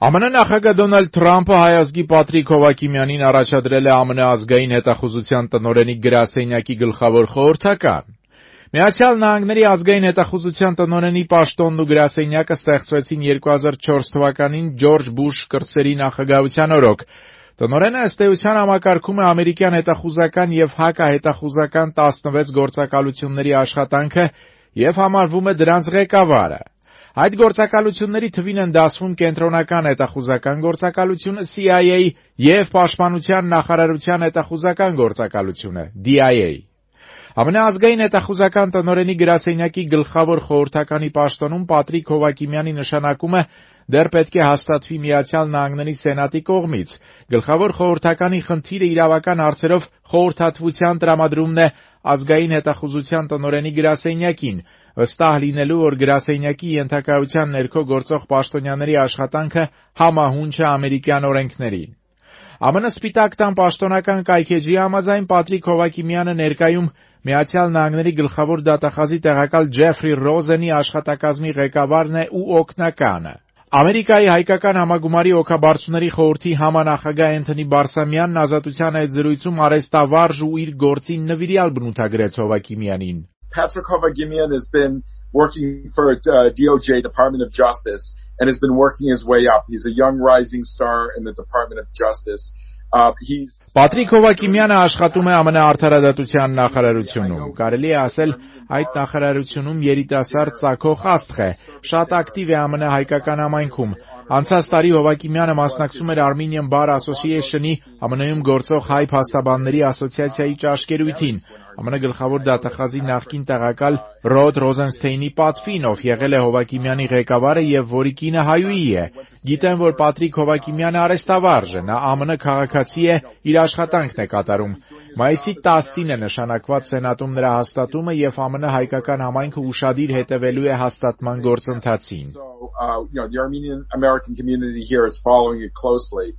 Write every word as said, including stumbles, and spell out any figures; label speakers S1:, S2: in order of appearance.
S1: Է Մը նախագահ Դոնալդ Թրամփը հայ ազգի Պատրիկ Հովհակիմյանին առաջադրել է Է Մը ազգային հետախուզության տնօրենի գրասենյակի գլխավոր խորհրդական։ Միացյալ Նահանգների ազգային հետախուզության տնօրենի պաշտոնն ու գրասենյակը ստեղծվեցին երկու հազար չորս թվականին Ջորջ Բուշ կրտսերի նախագահության օրոք։ Տնօրենը ըստ էության համակարգում է ամերիկյան հետախուզական եւ հակահետախուզական տասնվեց գործակալությունների աշխատանքը եւ համարվում է դրանց ղեկավարը։ Այդ գործակալությունների թվին են դասվում Կենտրոնական հետախուզական գործակալությունը C I A եւ Պաշտպանության նախարարության հետախուզական գործակալությունը D I A։ Է Մը ազգային հետախուզական տնօրենի գրասենյակի գլխավոր խորհրդականի պաշտոնում Պատրիկ Հովհակիմյանի նշանակումը դեռ պետք է հաստատվի Միացյալ Նահանգների Սենատի կողմից։ Գլխավոր խորհրդականի խնդիրը իրավական հարցերով խորհրդատվության տրամադրումն է ազգային հետախուզության տնօրենի գրասենյակին, վստահ լինելու, որ գրասենյակի ենթակայության ներքո գործող պաշտոնյաների աշխատանքը համահունչ է ամերիկյան օրենքներին։ Է Մը Սպիտակ տան պաշտոնական կայքէջի համաձայն Պատրիկ Հովհակիմյանը ներկայում Միացյալ Նահանգների գլխավոր դատախազի տեղակալ Ջեֆրի Ռոզենի աշխատակազմի ղեկավարն է ու օգնականը։ Ամերիկայի հայկական համագումարի օգաբարձուների խորհրդի համանախագահ Էնթոնի Բարսամյանն Ազատության հետ զրույցում արեստավարժ ու իր գործին նվիրյալ բնութագրեց Հովհակիմյանին.
S2: Patrick Hovhakimian has been working for uh, D O J, Department of Justice, and has been working his way up. He's a young rising star in the Department of Justice. Uh, he's
S1: Պատրիկ Հովհակիմյանը աշխատում է Է Մը արդարադատության նախարարությունում։ Կարելի է ասել, այդ նախարարությունում երիտասարդ ծագող աստղ է, շատ ակտիվ է Է Մը հայկական համայնքում։ Անցած տարի Հովհակիմյանը մասնակցում էր Armenian Bar Association-ի Է Մը-ում գործող հայ փաստաբանների ասոցիացիայի ճաշկերույթին։ Է Մը գլխավոր դատախազի նախկին տեղակալ Ռոդ Ռոզենստեյնի պատվին, ով եղել է Հովհակիմյանի ղեկավարը եւ որի կինը հայուհի է։ Գիտեմ, որ Պատրիկ Հովհակիմյանը արեստավարժ է, նա Է Մը քաղաքացի է, իր աշխատանքն է կատարում։ Մայիսի տասին է նշանակված Սենատում նրա հաստատումը եւ Է Մը հայկական համայնքը ուշադիր հետևելու է հաստատման գործընթացին։
S2: So, uh, you know, the Armenian American community here is following it closely.